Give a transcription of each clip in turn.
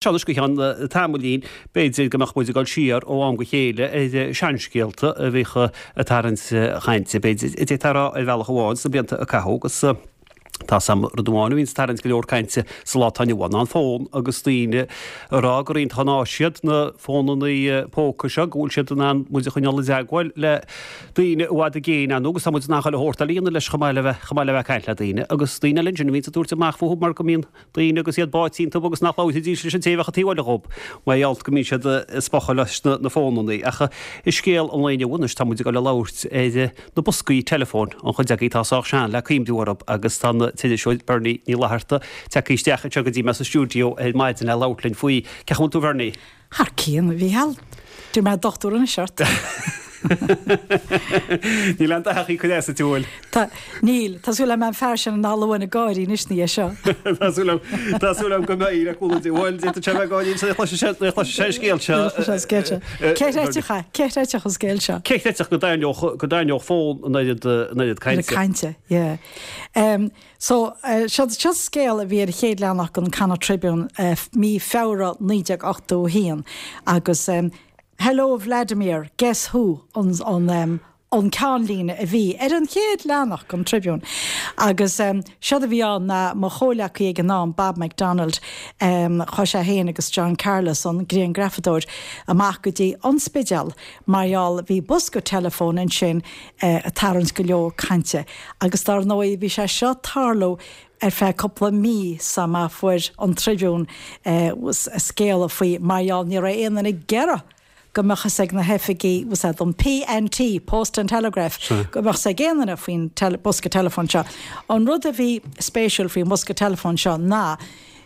Seo anois go ceann tamaillín, b'fhéidir go mbeadh muid ag dul siar ó am go chéile ar seanscéalta a bhíodh ag tarraingt chainte, b'fhéidir, a d'fhéadfá a rá ar bhealach amháin, sna blianta a caitheadh agus tá 's a'm rud amháin a bhíonns ag tarraingt go leor cainte sa lá atá inniu ann ná an fón agus daoine ag rá gur iontach an áis iad na fónannaí póca seo, go bhfuil siad in ann muid a choinneáil i dteagmháil le daoine i bhfad i gcéin ann agus tá muid in ann chuile shórt eile a dhéanamh leis chomh maith le bheith chomh maith le bheith ag caint le daoine agus daoine eile ansin a bhíonns ag tabhairt amach fúthu mar go mbíonn daoine agus iad báite iontu agus nach labhróidís leis an té a bheadh an taobh eile dhób, mar gheall go mbíonn siad ag spochadh leis na fónannaí. Ach i scéal an lae inniu anois tá muid ag dul a labhairt ar na boscaí teileafóin, an chuid agaibh atá sách sean le cuimhniú orthu agus tá an t-iriseoir Bernie Ní Fhlatharta tagtha isteach anseo go dtí mé sa stiúideo ar maidin le labhairt linn faoi. Cén chaoi a bhfuil tú a Bhernie? Thar cionn, a Mhícheáil. D'iarr mé dochtúir anois ort. Níl aon dath ag cur as duit, an bhfuil? Tá, níl. Tá súil agam an fear sin an Albain ag gáirí anois ina dhiaidh seo. Tá súil agam, tá súil agam go mbeidh le cúnamh Dé. Bhuel, d'fhéadfadh sé bheith ag gáirí nuair a chloisfidh sé, nuair a chloisfidh sé an scéal seo. Nuair a chloisfidh sé an scéal seo. Cé chreidfeadh é? Cé chreidfeadh an scéal seo? Cé chreidfeadh go dtarraingeodh, go dtarraingeodh fón an oiread, an oiread cainte? An oiread cainte, yeah. So, seo, seo scéal a bhí ar an chéad leathanach den Connacht Tribune mí Feabhra 1981 agus Hello Vladimir, guess who an, an, an ceannlíne a bhí ar an chéad leathanach den Tribune. Agus séard a bhí ann ná mo chomhleacaí ag an am, Bob McDonald, chuaigh sé féin agus John Carlos, an grianghrafadóir, amach go dtí an Spidéal mar gheall bhí bosca teileafóin ansin ag tarraingt go leor cainte agus dar ndóigh bhí sé seo ag tarlú ar feadh cúpla mí sula bhfuair an Tribune scéala faoi mar gheall ní raibh aon duine ag iarraidh go mbeadh fhios ag na hoifigí was that an P&T, Post and Telegraph, go mbeadh fhios ag aon duine faoin bosca teileafóin seo. An rud a bhí spéisiúil faoin bhosca teileafóin seo ná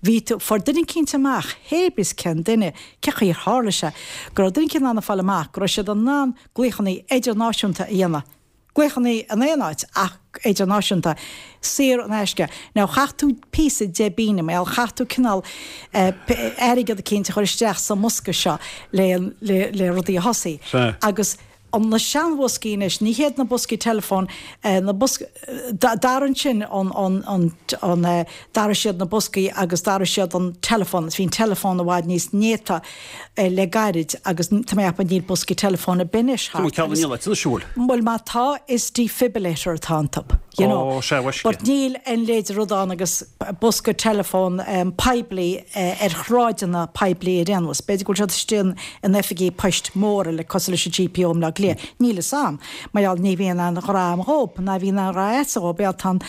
bhí tú, fuair duine eicínt amach, hé bith cén duine, cé chaoi ar tharla sé, go raibh duine eicínt in ann a fáil amach go raibh siad in ann glaochannaí idirnáisiúnta a dhéanamh, glaochannaí in aon áit ach idirnáisiúnta, saor in aisce. Now chaith tú píosa deich bpingine, mar gheall, chaith tú cineál airgead eicínt a chur isteach sa mbosca seo le le rudaí a thosaí. Agus an na seanbhoscaí anois, ní hiad na boscaí teileafóin, na boscaí, d'athraigh ansin an an an an d'athraigh siad na boscaí agus d'athraigh siad an teileafón, bhí an teileafón i bhfad níos néata le gairid agus tá mé ag ceapadh níl boscaí teileafóin ar bith anois thart. Tá ceann níl ait siúil. Bhuel má tá is defibrillator atá iontu, you know. Ó, sea, mhaisce. But níl an leithéid de rud ann agus bosca teileafóin poiblí ar shráideanna poiblí ar aon nós. B'fhéidir go bhfuil siad istigh in oifigí poist móra le cosúil leis an GPO i mBleá Cliath. Níl fhios a'm. Mar gheall ní bhíonn aon ghrá a'm dhób, ná bhíonn aon ghrá a'dsa dhób, mar gheall tá an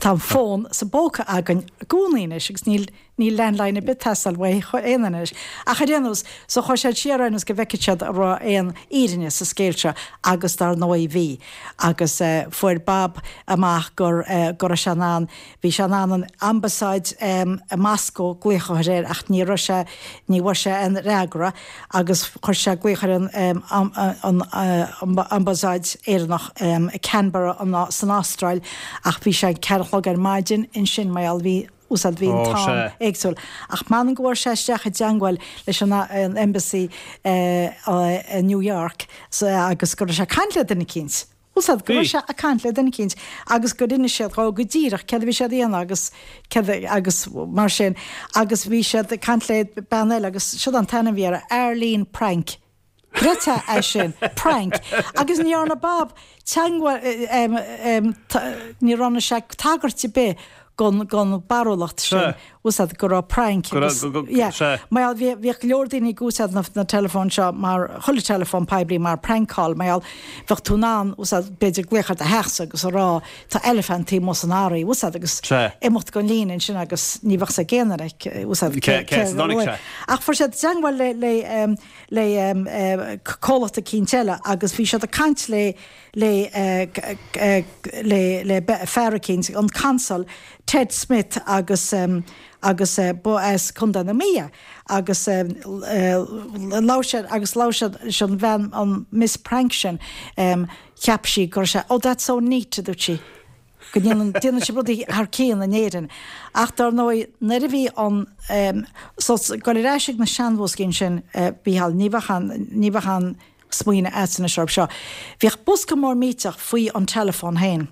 tá an fón sa bpóca againn i gcónaí anois agus níl níl landline ar bith ag teastáil uaidh aon duine anois. Ach ar aon nós, so chuaigh siad siar ar aon nós go bhfeicfeadh siad an raibh aon fhírinne sa scéal seo agus dar ndóigh bhí. Agus fuair Bob amach gur go raibh sé in ann, bhí sé in ann an ambasáid i Moscó glaoch a chur air ach ní raibh sé, ní bhfuair sé aon fhreagra agus chuir sé glaoch ar an ambasáid Éireannach i Canberra san Astráil ach bhí sé ceathair a chlog ar maidin ansin mar gheall bhí úsáid bhí an t-am éagsúil. Ach m'anam go bhfuair sé isteach i dteangmháil leis an embassy i New York agus go raibh sé ag caint le duine eicínt. Úsáid, go raibh sé ag caint le duine eicínt agus gur inis siad dhó go díreach céard a bhí siad a dhéanamh agus céard agus mar sin agus bhí siad ag caint le bean eile agus siod an t-ainm a bhí uirthi, Arlene Prank. Creidfeá é sin, prank. Agus ní dhearna Bob teangmháil, ní dhearna sé tagairt ar bith gon gon barúlacht sin, úsáid go raibh prank agus yeah. Mar gheall bhí bhíodh go leor daoine ag úsáid na na teileafóin seo mar chuile teileafón poiblí mar prank call mar gheall bheadh tú in ann úsáid b'fhéidir glaoch ar do theachsa agus a rá tá eilipeant taobh amuigh san fharraige úsáid agus imeacht gon líne ansin agus ní bheadh 's ag aon duine úsáid cé cé as a dtáinig sé. Ach fuair siad teangmháil le le le comhlacht eicínt eile agus bhí siad ag caint le le le le fear eicínt, an Consul, Ted Smith agus agus ba as Contae na Mí é agus labhair siad agus labhair siad leis an bhean an Miss Prank sin cheap sí go raibh sé oh that's so neat a dúirt sí. go ndéanann, déanann sibh rudaí thar cionn in Éirinn. Ach dar ndóigh, nuair a bhí an, so, goil ar ais ag na seanbhoscaí ansin, a Mhícheáil, ní bheadh aon, ní bheadh aon smaoineamh a'dsa anois orthu seo. Bhíodh bosca mór millteach faoi an teileafón féin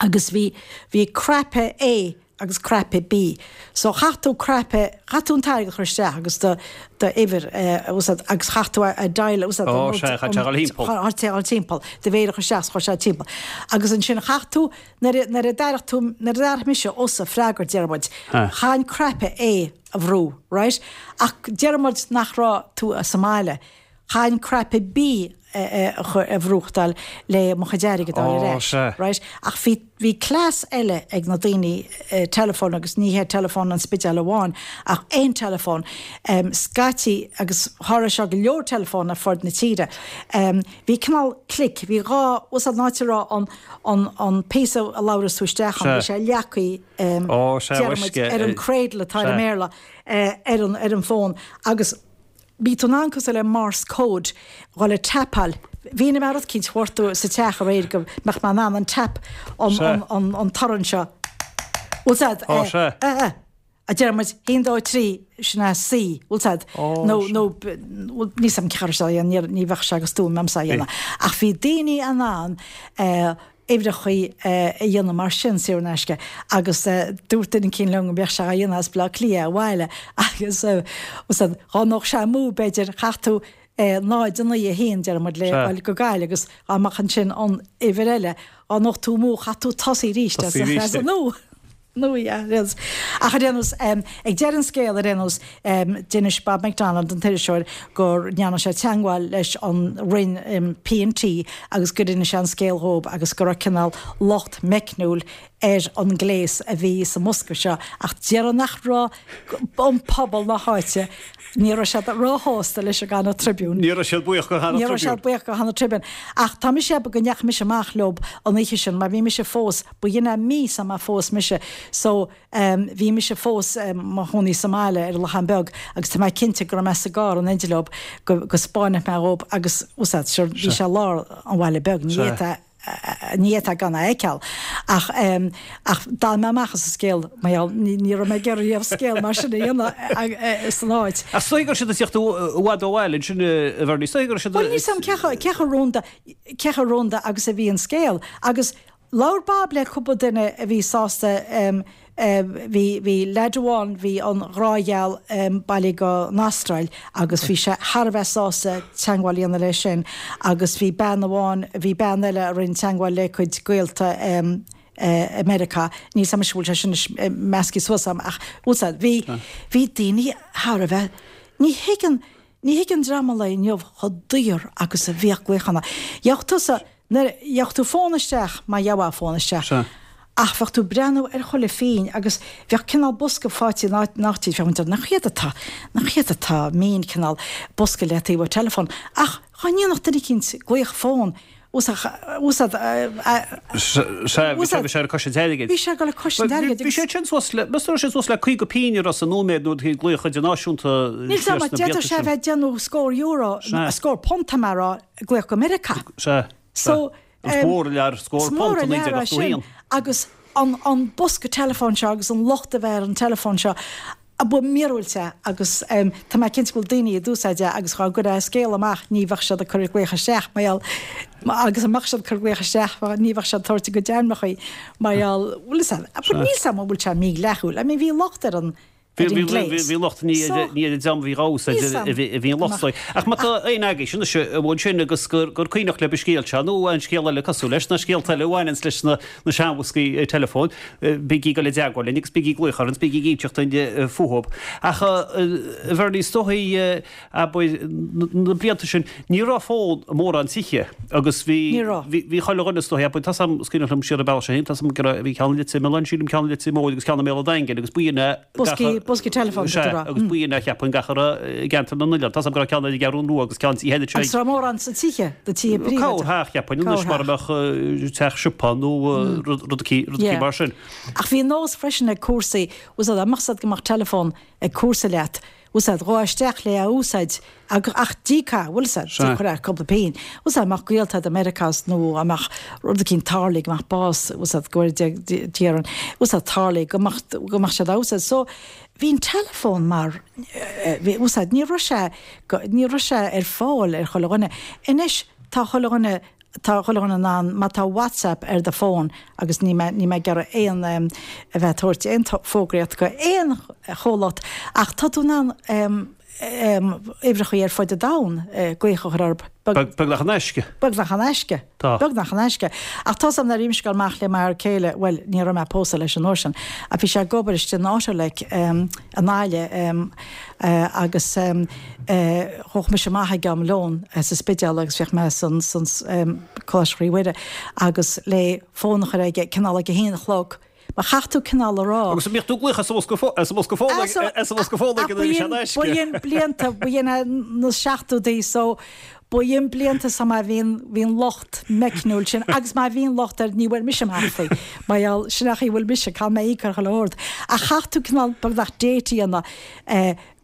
agus bhí, bhí cnaipe A. agus cnaipe B. So chaith tú cnaipe, chaith tú an t-airgead a chur isteach agus do do uimhir a úsáid agus chaith tú a dial a úsáid Ó, sea, chaith sé a dhul thimpeall. Chaith sé a dhul timpeall, do mhéar a chur isteach is chuir sé timpeall. Agus ansin chaith tú, nuair a nuair a d'airigh tú, nuair a d'airigh mise usa freagra deir muid, chaithfinn cnaipe A a bhrú, right? Ach deir muid nach raibh tú sa mbaile. Chaithfinn cnaipe B a bhrúchtáil le mo chuid airgid a fháil ar ais, right? Ach bhí, bhí cleas eile ag na daoine teileafóin agus ní hé teileafón an Spidéil amháin ach aon teileafón, scaití agus tharla seo go leor teileafón ar fud na tíre, bhí cineál click, bhí dá, bhfuil fhios a'd an áit a raibh an, an, an píosa a labhras tú isteach ann, bhí sé leagtha, deir muid, ar an cradle atá ar an mBéarla, ar an, ar an bhfón agus. Bhí tú in ann cosúil le Morse code dhul ag tapáil. Bhí mé rud eicínt a ghortú sa teach aréir go mbeadh mé in ann an tap an an an torann seo. Bhfuil 's a'd? Ó sea. Eh eh. A deir muid, haon dó trí, sin é C, bhfuil 's a'd? Nó nó níl 's a'm cén chaoi a raibh sé á dhéanamh, ní bheadh sé go stuaim a'msa a dhéanamh. Ach bhí daoine in ann eh uimhreachaí a dhéanamh mar sin saor in aisce agus dúirt duine eicínt liom go mbeadh sé á dhéanamh as Baile Átha Cliath abhaile agus dá ndódh sé amú b'fhéidir chaith tú 0, 9, 1 deir muid le dhul go Gaillimh agus dá mbeadh ansin an uimhir eile dá ndódh tú amú chaith tú tosaí arís as an nua. Nó yeah, ar aon nós. Ach ar aon nós, ag deireadh an scéil ar aon nós, d'inis Bob McDonald, an t-iriseoir, go ndearna sé teagmháil leis an Roinn P&T agus gur inis sé an scéal dhóibh agus go raibh cineál locht meicniúil ar an ngléas a bhí sa mbosca seo ach déarfainn nach raibh an pobal na háite, ní raibh siad róshásta leis an gConnacht Tribune. Ní raibh siad buíoch go Connacht Ní raibh siad buíoch go Connacht Tribune. Ach tá mise ag ceapadh go ndeachaigh mise amach leob an oíche sin mar bhí mise fós Ba shin é mí sa mba phós mise so bhí mise fós mo chónaí sa mbaile ar an Lochán Beag agus tá mé cinnte go raibh mé sa gcarr in éindí leob go go spáinfeadh mé dhób agus úsáid sure bhí sé lár an bhaile beag ní fhéadfá ní fhéadfá gan é a fheiceáil ach ach d'fhan mé amach as an scéal mar gheall ní ní raibh mé ag iarraidh riamh scéal mar sin a dhéanamh san áit. Ach is dóigh go raibh siad ag tíocht i bhfad ó bhaile ansin a Bhernie, is dóigh go raibh siad Bhuel níl 's a'm cé chomh cé chomh rúnda cé chomh rúnda agus a bhí an scéal agus Labhair Bob le cúpla duine a bhí sásta bhí bhí leaid amháin bhí an ghrágheal bailithe go an Astráil agus bhí sé thar a bheith sásta teagmháil a dhéanamh leis sin agus bhí bean amháin bhí bean eile a rinne teagmháil le cuid gaolta i Meiriceá níl 's a'm anois an bhfuil sé sin anois measctha suas a'm ach bhfuil 's a'd bhí bhí daoine thar a bheith ní thuigeann ní thuigeann dream an lae inniu chomh daor agus a bhíodh glaochanna. Gheobhadh tusa Nuair a gheobhadh tú fón isteach, má gheobhá fón isteach, Sea. ach bheadh tú ag breathnú ar chuile phínn agus bheadh cineál bosca faighte in áit nach dtí, bheadh muid nach iad atá, nach iad atá mín cineál bosca le taobh an teileafóin. Ach dhá ndéanfadh duine eicínt glaoch fón, úsáid, Sea, bhí sé, bhí sé ar cois an airgid. Bhí sé ag dul ar cois an airgid Bhí sé sin suas le, meas tú raibh sé suas le 50 pínn ar an nóiméad nuair a bhí glaoch idirnáisiúnta Níl 's agam, d'fhéadfadh sé a bheith ag déanamh scór euro, scór punt tá mé a rá, glaoch go Meiriceá. Sea. So, Is mór an lear scór punt i 1981. Agus an an bosca teileafóin seo agus an locht a bheith ar an teileafón seo, ba mhíorúilt é agus tá mé cinnte go bhfuil daoine a d'úsáid é agus dhá gcuirfeá scéal amach ní bheadh siad ag cur glaoch isteach mar gheall agus a mbeadh siad ag cur glaoch isteach ní bheadh siad ag tabhairt a gcuid ainmneacha mar gheall bhfuil 'fhios a'd but níl 's a'm an bhfuil sé mídhleathúil I mean bhí locht ar an Bhí bhí locht ní ar an dream a bhí á úsáid a bhí an locht. Ach má tá éinne agaibhse anois a bhfuil sin agus gur cuimhneach libh an scéal seo nó aon scéal eile cosúil leis, nó scéalta eile a bhaineanns leis na seanbhoscaí teileafóin, bígí ag dul i dteagmháil linn agus bígí ag glaoch orainn is bígí ag inseacht dúinn fúthu. Ach a Bhernie, is dóigh abair, na blianta sin, ní raibh fón i mórán tithe agus bhí, Ní raibh. bhí, bhí chuile dhuine is dóigh, abair, tá's a'm, is cuimhneach liom siar an bealach seo féin, tá's a'm go raibh, bhí ceann i Leitir Mealláin, sílim, ceann i Leitir Móir agus ceann i mBéal an Daingin agus b'in é gach Boscaí, boscaí teileafóin, Sea, b'fhéidir, agus b'in é cheapfainn gach a raibh i gceantar na n-oileán. Tá's a'm go raibh ceann ar an gCeathrú Rua agus ceann tithe eile Agus raibh mórán sna tithe, na tithe príobháideacha. Corrtheach, cheapfainn, anois mar a mbeadh teach siopa nó rud rud Yeah. mar sin. Ach bhí nós freisin ag comharsaí, bhfuil 's a'd, dá mbeadh 's a'd go mbeadh teileafón ag comharsa leat, bhfuil 's a'd, ghabhfá isteach le é a úsáid ach ach d'íocfá, bhfuil 's a'd, chuirfeá cúpla pingin, bhfuil 's a'd, mbeadh gaolta a'd i Meiriceá nó dá mbeadh rud eicínt tarlaithe, go mbeadh bás, bhfuil 's a'd, go bhfuil Dia orainn, bhfuil 's a'd, tarlaithe, go mbeadh, go mbeadh siad á úsáid. So, bhí an teileafón mar, bhí, bhfuil 's a'd, ní raibh sé, ní raibh sé ar fáil ar chuile dhuine. Anois, tá chuile dhuine. tá chuile dhuine in ann, má tá WhatsApp ar do fón, agus níl mé, níl mé ag iarraidh aon, a bheith ag tabhairt aon fógraíocht go aon chomhlacht, ach tá tú in ann uimhreachaí ar fud an domhain glaoch a chur orthu. Beagnach in aisce. Beagnach in aisce. Tá. Beagnach in aisce. Ach tá 's a'm nuair a bhí mise ag dul amach le m'fhear céile, bhuel, ní raibh mé pósta leis an uair sin, ach bhí sé ag obair istigh in Autolec i nGaillimh agus ghabhadh mise amach ag am lóin sa Spidéal agus bhíodh mé san Coláiste Chroí Mhuire agus le fón a chur aige cineál ag a haon a chlog Mar chaithfeadh tú cineál a rá. Agus an mbíodh tú ag glaoch as an bhosca as an bhosca fóin as an bhosca fóin ag an bhí sé in aisce. Ba in blianta, ba in na seachtóidí so ba in blianta so má bhíonn bhíonn locht meicniúil sin agus má bhíonn locht air ní bhfuair mise amach faoi mar gheall sin an chaoi a bhfuil mise caithfidh mé íoc ar chuile shórt. Ach chaithfeadh tú cineál beagnach date a dhéanamh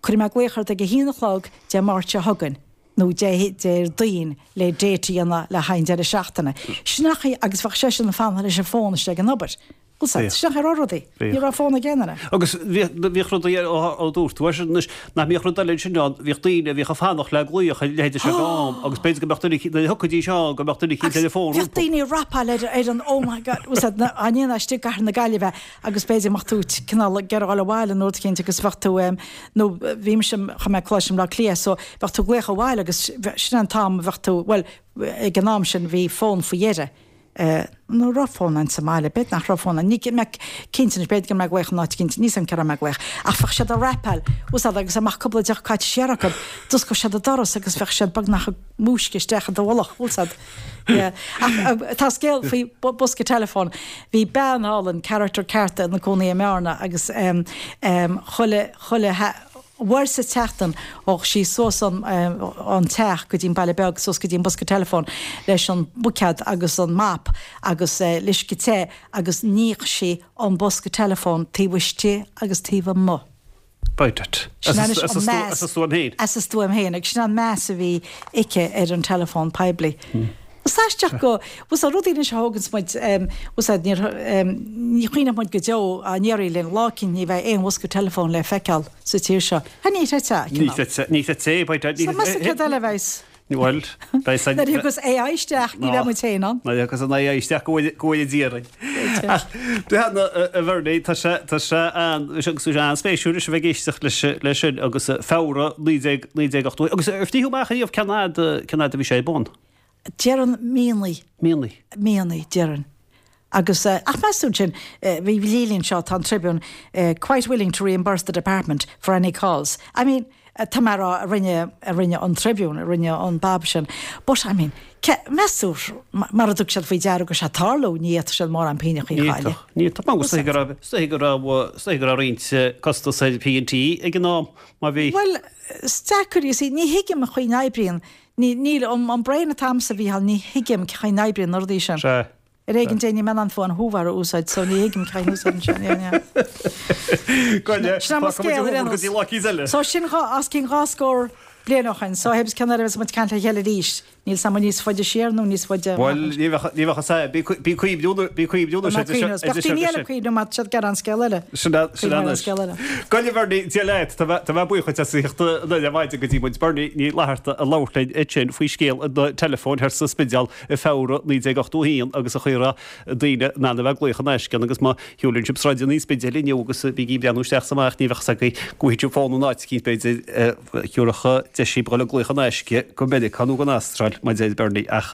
cuirfidh mé glaoch ort ag a haon a chlog Dé Máirt seo chugainn. nó Dé Déardaoin le date a dhéanamh le haghaidh an deireadh seachtaine. Sin an chaoi agus bheadh seisean ag fanacht leis an fón istigh ag an obair. Bhfuil 's a'd, sin an chaoi a raibh rudaí. Ní raibh fón ag aon duine. Agus bhíodh rudaí ó dúirt tú sin anois, nach mbíodh rud eile ansin ann, bhíodh daoine a bhíodh ag fanacht le glaoch ar leithéid seo am agus b'fhéidir go mbeadh duine nuair a thiocfaidís ann go mbeadh duine eicínt ar an bhfón rompu. Bhíodh daoine ag rapáil ar ar an oh my God, bhfuil 's a'd, an ndéanfá istigh i gcathair na Gaillimhe agus b'fhéidir go mbeadh tú cineál ag iarraidh dhul abhaile nó rud eicínt agus bheadh tú nó bhí mise, chuaigh mé Coláiste i mBleá Cliath so bheadh tú ag glaoch abhaile agus sin an t-am a bheadh tú, bhuel ag an am sin bhí fón faoi dheireadh, nó raibh fón ann sa mbaile, b'fhéidir nach raibh fón ann, níl mé cinnte anois, b'fhéidir go raibh mé ag glaoch in áit eicínt, níl 's a'm cé raibh mé ag glaoch, ach bheadh siad ag rapáil, bhfuil 's a'd agus dá mbeadh cúpla deoch caite siar acu, d'osclódh siad an doras agus bheadh siad beagnach ag múisce isteach i do mhullach, bhfuil 's a'd. Yeah. Ach tá scéal faoi bosca teileafóin. Bhí bean álainn, character ceart ina cónaí i mBearna agus chuile, chuile uair sa tseachtain ghabhadh sí suas an ón teach go dtí an baile beag, suas go dtí an bosca teileafóin leis an buicéad agus an mop agus le uisce te agus níodh sí an bosca teileafóin taobh istigh agus taobh amuigh. By dad. Sin anois an meas. As a stuaim féin. As a stuaim féin. Agus sin an meas a bhí aici ar an teileafón poiblí. Is aisteach go, bhfuil 's a'd, rudaí anois a thóganns muid, bhfuil 's a'd, níor, ní chuimhneodh muid go deo dá ndéarfaí linn lá eicínt ní bheidh aon bhosca teileafóin le feiceáil sa tír seo. Ha, ní chreidfeá, cineál. Ní chreidfeá, ní chreidfeá é, by dad. So meas tú céard eile a bheas? Bhuel, beidh san. Nuair a thiocfas AI isteach, ní bheidh muid féin ann. Nuair a thiocfas an AI isteach, go bhfóire Dia orainn. Ach, breathnaigh, a Bhernie, tá sé, tá sé an, agus tá sé an-spéisiúil leis a bheith ag éisteacht leis, leis sin agus Feabhra 19, 1980. Agus ar frítheadh amach ariamh cén fhad, cén fhad a bhí sé ar bun? Déarfainn míonna. Míonna. Míonna, déarfainn. Agus, ach meas tú ansin, bhí Lili anseo, tá an Tribune quite willing to reimburse the department for any calls. I mean, tá mé a rá, a rinne, a rinne an Tribune, a rinne an bab sin. But, I mean, ce, meas tú, mara dtug siad faoi deara go raibh sé ag tarlú, ní fhéadfadh siad mórán pínneachaí a chailleadh. Ní fhéadfadh, ní fhéadfadh. Is dóigh go raibh, is dóigh go raibh, is dóigh go raibh roinnt costas ar P&T ag an am, má bhí. Bhuel, is deacair, you see, ní thuigim an chaoi n-oibríonn, ní, níl, an, an brain atá a'msa, a Mhícheáil, ní thuigim cén chaoi n-oibríonn na rudaí sin. Sea. Ar éigean dé níl mé in ann fón Hoover a úsáid so ní thuigim cén úsáid sin, yeah, yeah. Goile, Sin an scéal ar aon nós. Go dtí lá eicínt eile. So sin os cionn 20 scór bliain ó shin, so théis cén uair a bheas muid ag caint le chéile arís, níl 's a'm níos faide siar nó níos faide amach. Bhuel, ní bheadh, ní bheadh a fhios a'm. Bí, bí cuimhniú, bí cuimhniú anois. Beidh cuimhniú, beidh daoine eile cuimhniú má tá siad ag gearán scéal eile. Sin é, sin é anois. Goile Bernie, Dia leat, tá mé, tá mé buíoch duit as a theacht anoir ar maidin go dtí muid. Bernie Ní Fhlatharta ag labhairt linn ansin faoi scéal an teileafóin thoir sa Spidéal. i Feabhra 1981 agus an chaoi a raibh daoine in ann a bheith ag glaoch in aisce ann agus má shiúlann sibh sráideanna an Spidéil inniu agus bígí ag breathnú isteach is amach ní bheadh 's agaibh go bhfaighidh sibh fón in áit eicínt b'fhéidir a thiúrfadh deis daoibh dhul ag glaoch in aisce go Meiriceá nó gon Astráil mar deir Bernie ach.